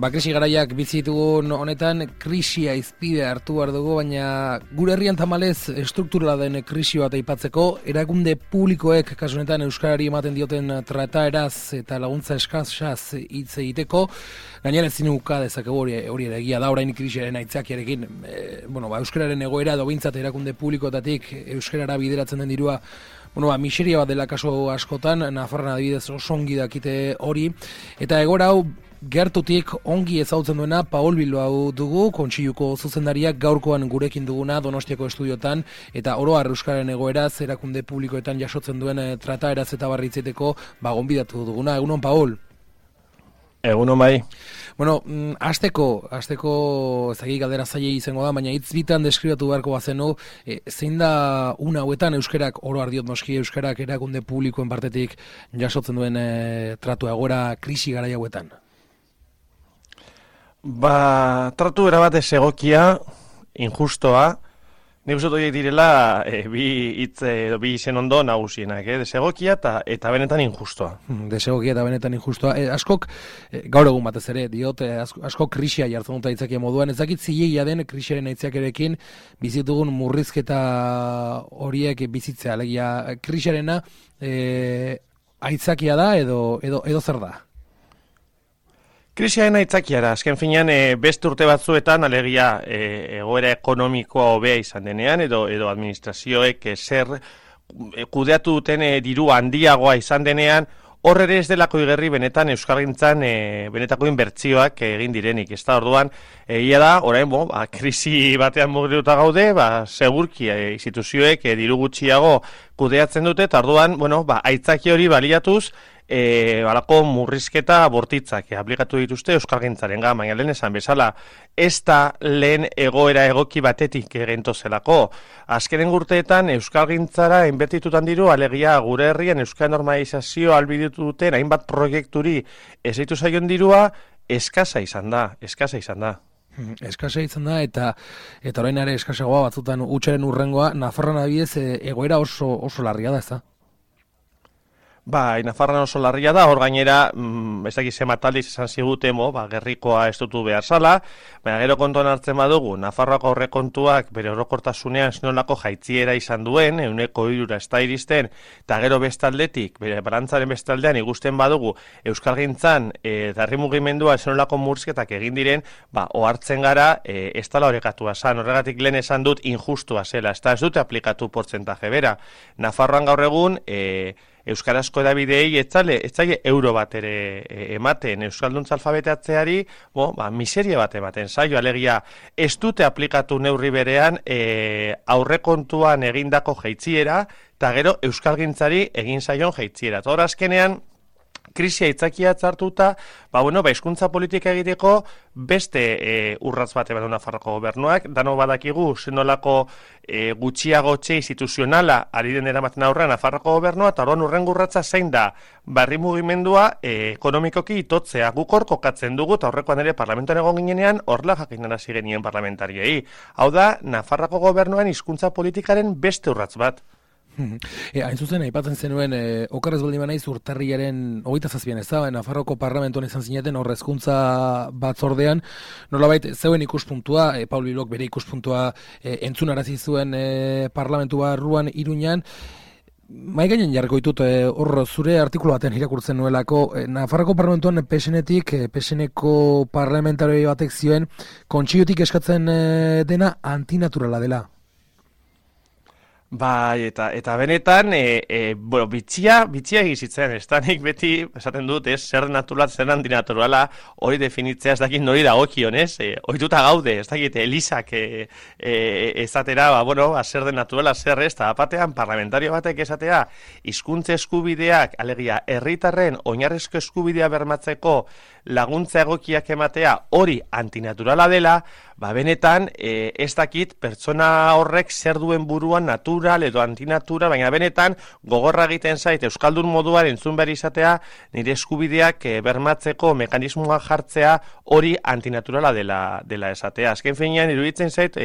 Krisi garaiak bizitugun honetan krisia izpide hartu behar dugu, baina gure herrian tamalez estrukturala den krisi bat aipatzeko, erakunde publikoek kasu honetan euskarari ematen dioten trataeraz eta laguntza eskasaz hitz egiteko, gainera ezin uka dezakegu hori ere egia da orain krisiaren aitzakiarekin, euskararen egoera edo behintzat erakunde publikoetatik euskarara bideratzen den dirua miseria bat dela kaso askotan, Nafarroan adibidez oso ongi dakite hori, eta egora hau gertutik ongi ezagutzen duena Paul Bilbao dugu, Kontseiluko zuzendariak gaurkoan gurekin duguna Donostiako estudiotan, eta oro har euskararen egoeraz, erakunde publikoetan jasotzen duen trataeraz eta barritzeteko gonbidatu duguna. Egunon, Paul? Egunon bai. Hasteko ezagik galdera zailei izango da, baina hitz bitan deskribatu beharko bazenu, zein da una hauetan euskerak, oro har diot noski, euskerak erakunde publikoen partetik jasotzen duen tratu egoera krisi garai hauetan? Tratu erabat ez egokia, injustoa, nik uste horiek direla bi izen ondo nagusienak, desegokia eta benetan injustoa. Desegokia eta benetan injustoa. Askok, gaur egun batez ere, diot, askok krisia jartzen dut aitzakia moduan, ezakit zilegia den krisiaren aitzakiarekin bizitugun murrizketa horiek bizitzea, alegia krisiarena aitzakia da edo zer da? Krisiaren aitzakiara, azken finean beste urte batzuetan alegia egoera ekonomikoa hobea izan denean edo administrazioek zer kudeatu duten diru handiagoa izan denean, hor ere ez delako igerri benetan euskalgintzan benetako inbertsioak egin direnik. Ez da orduan, egia da, orain krisi batean mugituta gaude, segurki instituzioek diru gutxiago kudeatzen dute, eta orduan, aitzaki hori baliatuz, balako murrizketa bortitzak aplikatu dituzte euskalgintzaren baina lehen esan bezala, ez da lehen egoera egoki batetik gentozelako. Azkenen urteetan euskalgintzara inbertitutan diru, alegia gure herrian euskal normalizazio albiditu duten hainbat proiekturi ez ditu zaion dirua, eskasa izan da. Eskasa izan da eta orain ere eskasagoa batzutan hutsaren urrengoa, Nafarroan adibidez egoera oso larria da, ez da? Nafarroan oso larria da, hor gainera, ez dakiz emataldiz esan ziguten, gerrikoa ez dutu behar zala, baina gero kontuan hartzen badugu, Nafarroako aurrekontuak bere orokortasunean zenolako jaitziera izan duen, 3% ez da iristen, eta gero bestaldetik, bere balantzaren bestaldean ikusten badugu, euskalgintzan eta herri mugimendua zenolako murrizketak egin diren, ohartzen gara, ez dela horrekatua zan, horregatik lehen esan dut injustua zela, ez dute aplikatu portzentaje bera. Nafarroan gaur egun, euskarazko edabideei ez zaile euro bat ere ematen, euskalduntza alfabetatzeari, miseria bat ematen zaio, alegia ez dute aplikatu neurri berean aurrekontuan egindako jaitziera, eta gero euskalgintzari egin zaion jaitziera. Eta hor azkenean, krisia aitzakia hartuta, hizkuntza politika egiteko beste urratz bat eman Nafarroako gobernuak, dano badakigu zenolako gutxiagotxe instituzionala ari den eramaten aurrean Nafarroako gobernua, eta orduan urrengo urratza zein da barri mugimendua ekonomikoki itotzea. Guk hor kokatzen dugu, eta horrekoan ere parlamentoan egon ginenean horrela jakinarazi genien parlamentariei. Hau da, Nafarroako gobernuan hizkuntza politikaren beste urratz bat. Hain zuzen, aipatzen zenuen, okarrez baldin banaiz urtarrilaren 27an ez da, Nafarroko parlamentuan izan zineten hezkuntza batzordean, nolabait zeuen ikuspuntua, Paul Bilbok bere ikuspuntua entzunarazi zuen parlamentu barruan Iruñan, mai gainen jarriko ditut, hor zure artikulu baten irakurtzen nuelako, Nafarroko parlamentuan PSNeko parlamentari batek zioen, kontseilutik eskatzen dena antinaturala dela. Eta benetan, bitxia egizitzen, ez da nik beti esaten dut, zer naturala, zer antinaturala, hori definitzea ez dakit nori dagokion, ohituta gaude, ez dakit Elisak ezatera, zer den naturala, zer ez, eta batean parlamentario batek esatea, hizkuntza eskubideak, alegia, herritarren oinarrizko eskubidea bermatzeko laguntza egokiak ematea hori antinaturala dela, benetan ez dakit pertsona horrek zer duen buruan natur natural edo antinatural, baina benetan gogorra egiten zait euskaldun moduan entzun behar izatea nire eskubideak bermatzeko mekanismoa jartzea hori antinaturala dela esatea. Azken finean iruditzen zait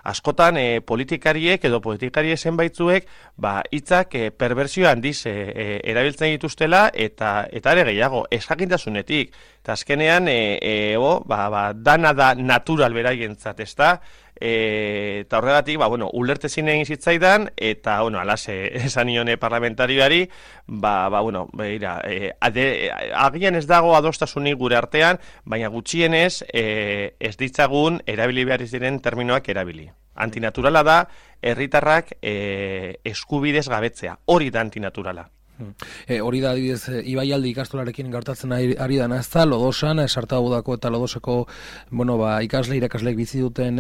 askotan politikariek edo politikariek zenbaitzuek hitzak perbersio handiz erabiltzen dituztela eta ere gehiago, ezjakintasunetik. Eta azkenean, dana da natural beraientzat, ezta? Eta horregatik, ulertezin egin zitzaidan, eta, alase esan nione parlamentarioari, agian ez dago adostasunik gure artean, baina gutxienez ez ditzagun erabili behar diren terminoak erabili. Antinaturala da, herritarrak eskubidez gabetzea, hori da antinaturala. Hori da, adibidez, Ibaialde ikastolarekin gertatzen ari dana ez da, Lodosan, Sartabudako eta Lodoseko irakasleek bizi duten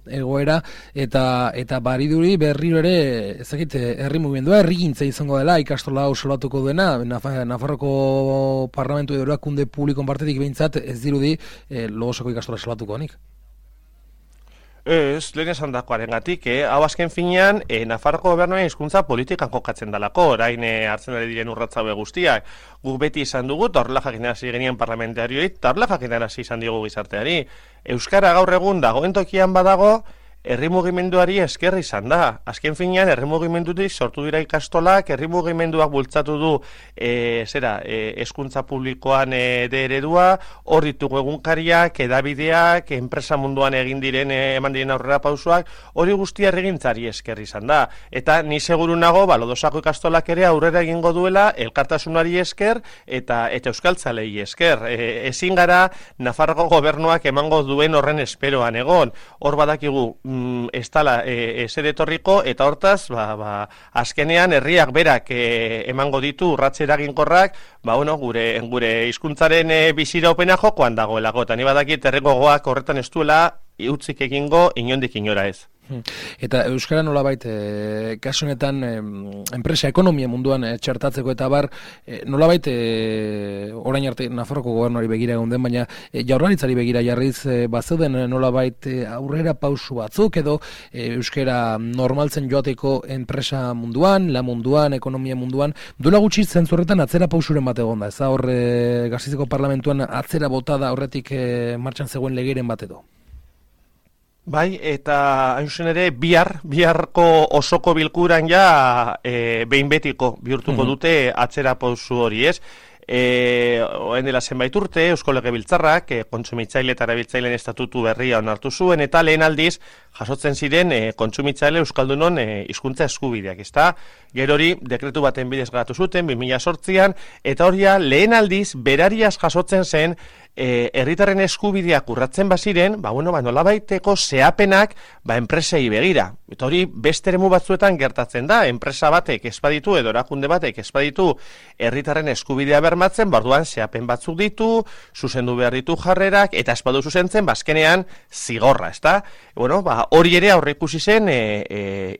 egoera, eta bariduri berriro ere, ezakit, herri mugimendua, herrigintza izango dela, ikastola hau solatuko duena, Nafarroko Parlamentu edo erakunde publikon partetik behintzat ez dirudi Lodoseko ikastola solatuko honik. Ez, lehen esan dakoaren gatik, hau azken finean, Nafarroko gobernuaren hizkuntza politikan kokatzen dalako, orain hartzen ari diren urratzaue guztiak. Guk beti izan dugu, eta horrela jakinarazi genien parlamentarioit, eta horrela jakinarazi izan digu gizarteari. Euskara gaur egun dagoen tokian badago, herri mugimenduari esker izan da. Azken finean, herri mugimendutik sortu dira ikastolak, herri mugimenduak bultzatu du hezkuntza publikoan eredua, hor ditugu egunkariak, edabideak, enpresa munduan eman diren aurrera pausoak, hori guztia herrigintzari esker izan da. Eta ni seguru nago, Lodosako ikastolak ere aurrera egingo duela, elkartasunari esker eta euskaltzalei esker. Ezin gara Nafarroko gobernuak emango duen horren esperoan egon. Hor badakigu ez dala ezer etorriko, eta hortaz, azkenean herriak berak emango ditu urratze eraginkorrak, gure hizkuntzaren biziraupena jokoan dagoelako, eta ni badakit herriko gogoak horretan ez duela utzik egingo inondik inora ez. Eta euskara nolabait, kasu honetan enpresa ekonomia munduan txertatzeko eta nolabait orain arte Nafarroko gobernuari begira egon den, baina Jaurlaritzari begira jarriz bazeuden nolabait aurrera pausu batzuk edo euskara normaltzen joateko enpresa munduan, la munduan, ekonomia munduan, duela gutxi zentzurretan atzera pausuren bat egon da, ez da hor Gasteizeko parlamentuan atzera botada horretik martxan zegoen legeren bat edo? Bai, eta hain zuzen ere, biharko osoko bilkuran behin betiko bihurtuko dute atzera pausu hori, ez? Oen dela zenbait urte, Eusko Legebiltzarrak kontsumitzaile eta erabiltzaileen estatutu berria onartu zuen, eta lehen aldiz jasotzen ziren kontsumitzaile euskaldunon hizkuntza eskubideak, ezta? Gero hori dekretu baten bidez garatu zuten 2008an, eta hori lehen aldiz berariaz jasotzen zen herritarren eskubideak urratzen baziren, nolabaiteko zehapenak enpresei begira. Eta hori beste eremu batzuetan gertatzen da, enpresa batek ezbaditu edo erakunde batek ezbaditu herritarren eskubidea bermatzen, orduan zehapen batzuk ditu, zuzendu behar ditu jarrerak, eta ezbadu zuzentzen, azkenean zigorra, ezta? Hori ere aurreikusi zen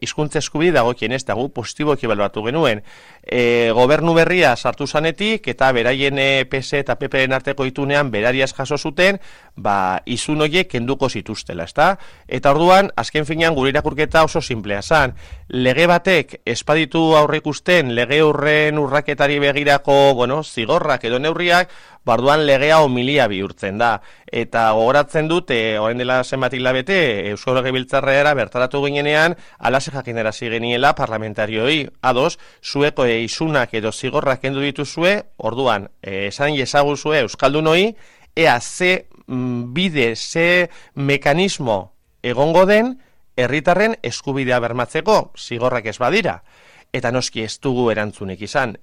hizkuntza eskubide dagokien ez dago positiboki ebaluatu genuen. Gobernu berria sartu zanetik, eta beraien PS eta PPren arteko itunean berariaz jaso zuten, izun horiek kenduko zituztela, ezta? Eta orduan, azken finean gure irakurketa oso simplea zan. Lege batek espaditu aurreikusten lege horren urraketari begirako, zigorrak edo neurriak, orduan legea homilia bihurtzen da. Eta gogoratzen dut, orain dela zenbat hilabete, Eusko Legebiltzarrera bertaratu ginenean, alase jakinarazi geniela parlamentarioi, ados, zueko isunak edo zigorrak kendu dituzue, orduan, esan ezaguzue euskaldunoi, ea ze bide, ze mekanismo egongo den herritarren eskubidea bermatzeko, zigorrak ez badira. Eta noski ez dugu erantzunik izan,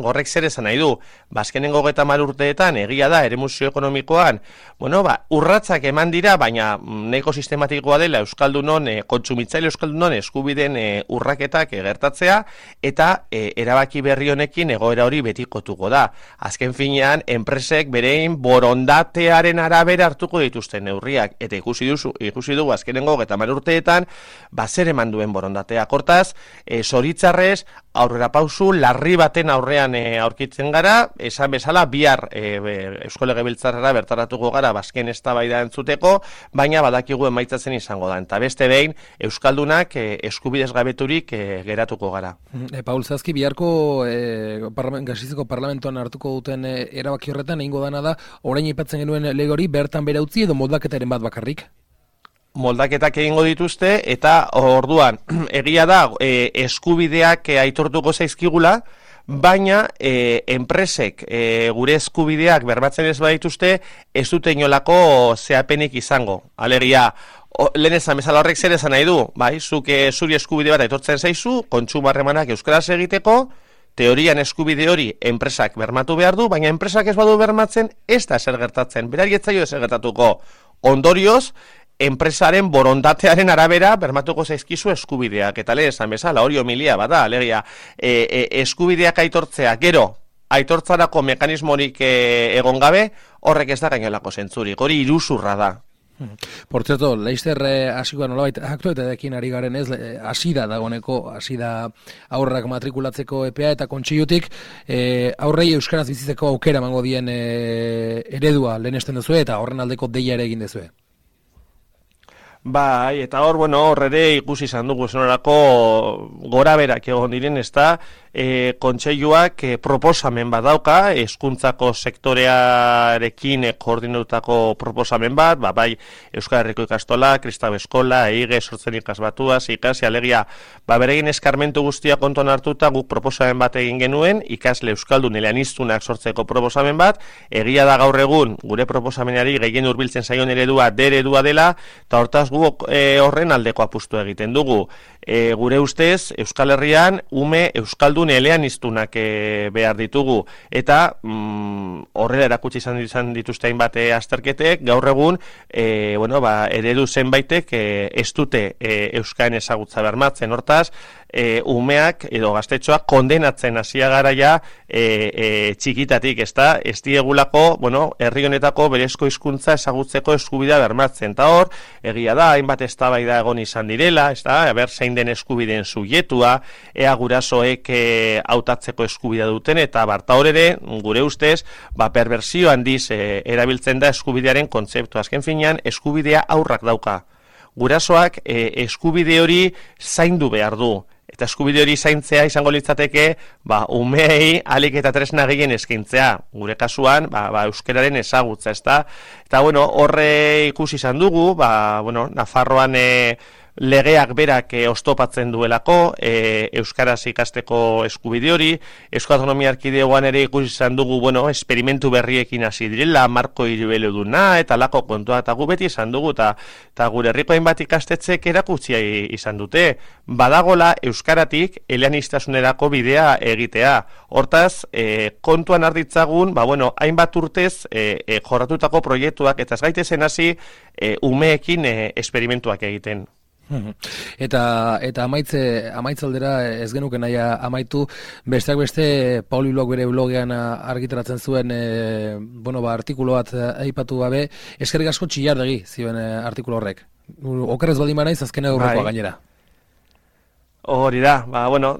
gorrek zer esan nahi du, azkenengo 30 urteetan egia da eremu sozioekonomikoan, urratsak eman dira, baina nahiko sistematikoa dela euskaldunon, kontsumitzaile euskaldunon eskubideen urraketak gertatzea, eta erabaki berri honekin egoera hori betikotuko da. Azken finean, enpresek berein borondatearen arabera hartuko dituzten neurriak, eta ikusi dugu azkenengo 30 urteetan, zer eman duen borondatea. Hortaz, zoritzarrez, aurrera pausu, larri baten aurrean aurkitzen gara, esan bezala, bihar Eusko Legebiltzarrera bertaratuko gara bazken eztabaida entzuteko, baina badakigu emaitzatzen izango da. Eta beste behin, Euskaldunak eskubidez gabeturik geratuko gara. Paul Zazki, biharko Gasteizeko parlamentoan hartuko duten erabaki horretan egingo dana da, orain aipatzen genuen lege hori bertan bera utzi edo moldaketaren bat bakarrik? Moldaketak egingo dituzte, eta orduan, egia da, eskubideak aitortuko zaizkigula, baina enpresek gure eskubideak bermatzen ez badituzte, ez dute inolako zehapenik izango. Alegia, lehen esan bezala horrek zer esan nahi du, bai, zuk zuri eskubide bat aitortzen zaizu, kontsumo harremanak euskaraz egiteko, teorian eskubide hori enpresak bermatu behar du, baina enpresak ez badu bermatzen, ez da zer gertatzen, berari ez zaio ez gertatuko. Ondorioz, enpresaren borondatearen arabera bermatuko zaizkizu eskubideak. Eta lehen esan bezala, hori homilia bada, alegia, eskubideak aitortzea, gero, aitortzarako mekanismorik egon gabe, horrek ez da gainolako zentzurik, hori iruzurra da. Por cierto, Leister hasiko nolabait aktualitateekin ari garen ez, hasi da dagoeneko, hasi da aurrak matrikulatzeko epea eta kontseilutik aurrei euskaraz bizitzeko aukera emango dien eredua lehenesten duzue eta horren aldeko deia ere egin duzue. Bai, eta hor, hor ere ikusi izan dugu zenorako gora berak egon diren, ez da, kontseiluak proposamen bat dauka, hezkuntzako sektorearekin koordinatutako proposamen bat, bai Euskal Herriko ikastola, Kristau Eskola, EIGE, sortzen ikasbatuaz, ikasi, alegia, beregin eskarmentu guztia konton hartuta guk proposamen bat egin genuen, ikasle euskaldun eleaniztunak sortzeko proposamen bat, egia da gaur egun gure proposamenari gehien hurbiltzen zaion eredua eredua dela, eta hortaz guk horren aldeko apustu egiten dugu. Gure ustez, Euskal Herrian ume euskaldun eleaniztunak behar ditugu, eta horrela erakutsi izan dituzte hainbat azterketek, gaur egun eredu zenbaitek ez dute euskaren ezagutza bermatzen, hortaz, umeak edo gaztetxoak kondenatzen hasia garaia txikitatik, ez diegulako, herri honetako berezko hizkuntza ezagutzeko eskubidea bermatzen, eta hor, egia da, hainbat eztabaida egon izan direla, aber zein den eskubideen subjektua, ea gurasoek hautatzeko eskubidea duten, eta barta hor ere, gure ustez, perbersio handiz erabiltzen da eskubidearen kontzeptu. Azken finean, eskubidea aurrak dauka. Gurasoak eskubide hori zaindu behar du. Eta eskubide hori zaintzea izango litzateke, umeei alik eta tresna gehien eskaintzea. Gure kasuan, euskararen ezagutza, ezta? Eta, horre ikusi izan dugu, Nafarroan legeak berak oztopatzen duelako, euskaraz ikasteko eskubide hori, Euskal Autonomia Erkidegoan ere ikusi izan dugu, esperimentu berriekin hasi direla, marko hiribeluduna, eta lako kontua, eta gu beti izan dugu, eta gure herriko hainbat ikastetxek erakutsia izan dute, badagola euskaratik eleaniztasunerako bidea egitea. Hortaz, kontuan arditzagun, hainbat urtez jorratutako proiektuak, eta ez gaitezen hasi umeekin esperimentuak egiten. Eta amaitzaldera ez genuke naia amaitu, besteak beste Pauli Blog bere blogean argitaratzen zuen artikulu bat aipatu gabe, eskerrik asko Txillardegi zioen artikulu horrek. Okerrez baldin banaiz azkena aurrekoa gainera. Hori da,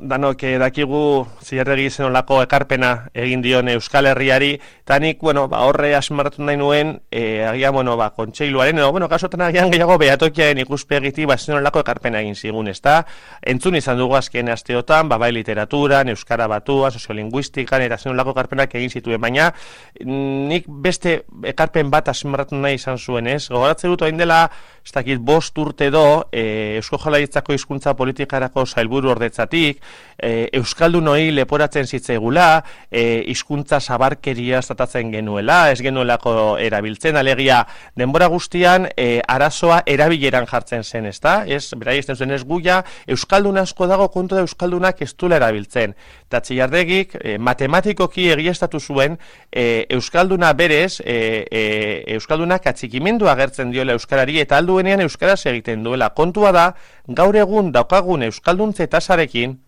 danok dakigu Txillardegi zenolako ekarpena egin dion Euskal Herriari, eta nik, horre asmarratu nahi nuen, agian, kontseiluaren, kasotan agian gehiago behatokiaren ikuspegitik, zenolako ekarpena egin zigun, ezta? Entzun izan dugu azken asteotan, bai literaturan, euskara batuan, soziolinguistikan, eta zenolako ekarpenak egin zituen, baina nik beste ekarpen bat asmarratu nahi izan zuen, ez? Gogoratzen dut, hain dela, ez dakit 5 urte do, Eusko Jaurlaritzako hizkuntza politikarako sailburu ordetzatik, euskaldunoi leporatzen zitzaigula, hizkuntza zabarkeria tratatzen genuela, ez genuelako erabiltzen, alegia denbora guztian arazoa erabileran jartzen zen, ezta? Ez, berai ez zen ez guia, euskaldun asko dago kontu da euskaldunak ez duela erabiltzen. Eta Txillardegik matematikoki egiaztatu zuen euskalduna berez, euskaldunak atxikimendu agertzen diola euskarari eta alduenean euskaraz egiten duela. Kontua da, gaur egun daukagun euskalduntze tasarekin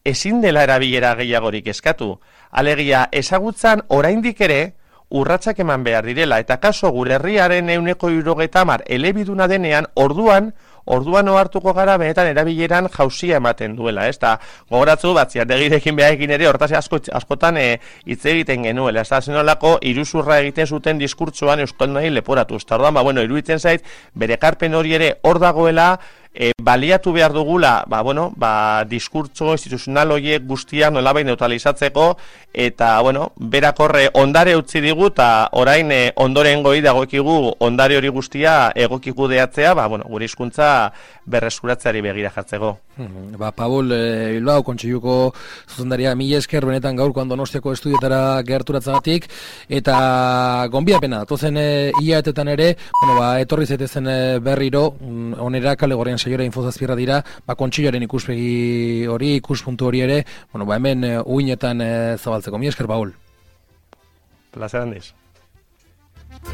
ezin dela erabilera gehiagorik eskatu. Alegia, ezagutzan oraindik ere urratsak eman behar direla, eta kaso gure herriaren 170 elebiduna denean, orduan orduan ohartuko gara benetan erabileran jauzia ematen duela, ez? Ta gogoratzu Batziarregirekin behaekin ere hortaz askotan hitz egiten genuela, ez da zenolako iruzurra egiten zuten diskurtsoan euskaldunei leporatu. Eta orduan, iruditzen zait, bere ekarpen hori ere hor dagoela, baliatu behar dugula, diskurtso instituzional horiek guztiak nolabait neutralizatzeko, eta, berak horre ondare utzi digu, eta orain ondoren goi dagoekigu ondare hori guztia egoki kudeatzea, gure hizkuntza berreskuratzeari begira jartzeko. Paul, Bilbao Kontseiluko zuzendaria, mila esker benetan gaurkoan Donostiako estudietara gerturatzagatik, eta gonbiapena, tozen hilaetetan ere, etorri zaitezen berriro, onera kale gorrian saiora infozazpierra dira, Kontseiluaren ikuspegi hori, ikuspuntu hori ere, hemen uinetan zabaltzeko. Mila esker, Paul. Plazer handiz.